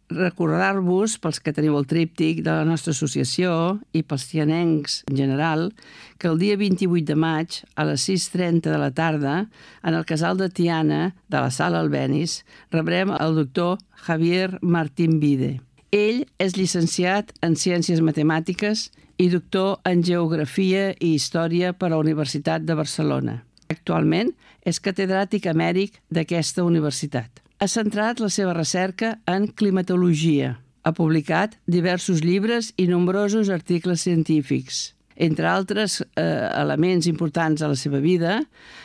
recordar-vos, pels que teniu el tríptic de la nostra associació i pels tianencs en general, que el dia 28 de maig, a les 6:30 de la tarda, en el casal de Tiana de la Sala Albéniz, rebrem el doctor Javier Martín Vide. Ell és llicenciat en Ciències Matemàtiques i doctor en Geografia i Història per a la Universitat de Barcelona. Actualment és catedràtic emèrit d'aquesta universitat. Ha centrat la seva recerca en climatologia. Ha publicat diversos llibres i nombrosos articles científics. Entre altres elements importants de la seva vida,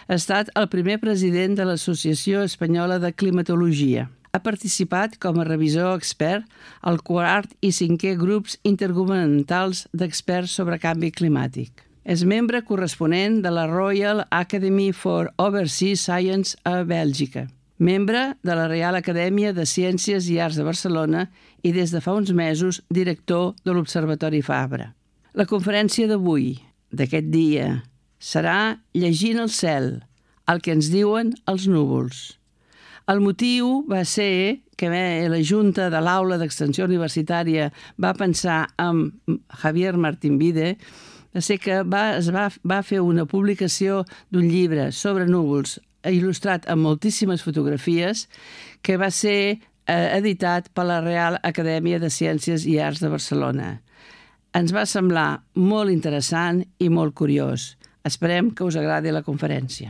ha estat el primer president de l'Associació Espanyola de Climatologia. Ha participat com a revisor expert al 4è i 5è grups intergovernamentals d'experts sobre canvi climàtic. És membre corresponent de la Royal Academy for Overseas Science a Bèlgica. Membre de la Reial Acadèmia de Ciències i Arts de Barcelona i des de fa uns mesos director de l'Observatori Fabra. La conferència d'avui, d'aquest dia, serà Llegint el cel, el que ens diuen els núvols. El motiu va ser que la Junta de l'Aula d'Extensió Universitària va pensar en Javier Martín Vide, va ser que va fer una publicació d'un llibre sobre núvols il·lustrat amb moltíssimes fotografies que va ser editat per la Real Acadèmia de Ciències i Arts de Barcelona. Ens va semblar molt interessant i molt curiós. Esperem que us agradi la conferència.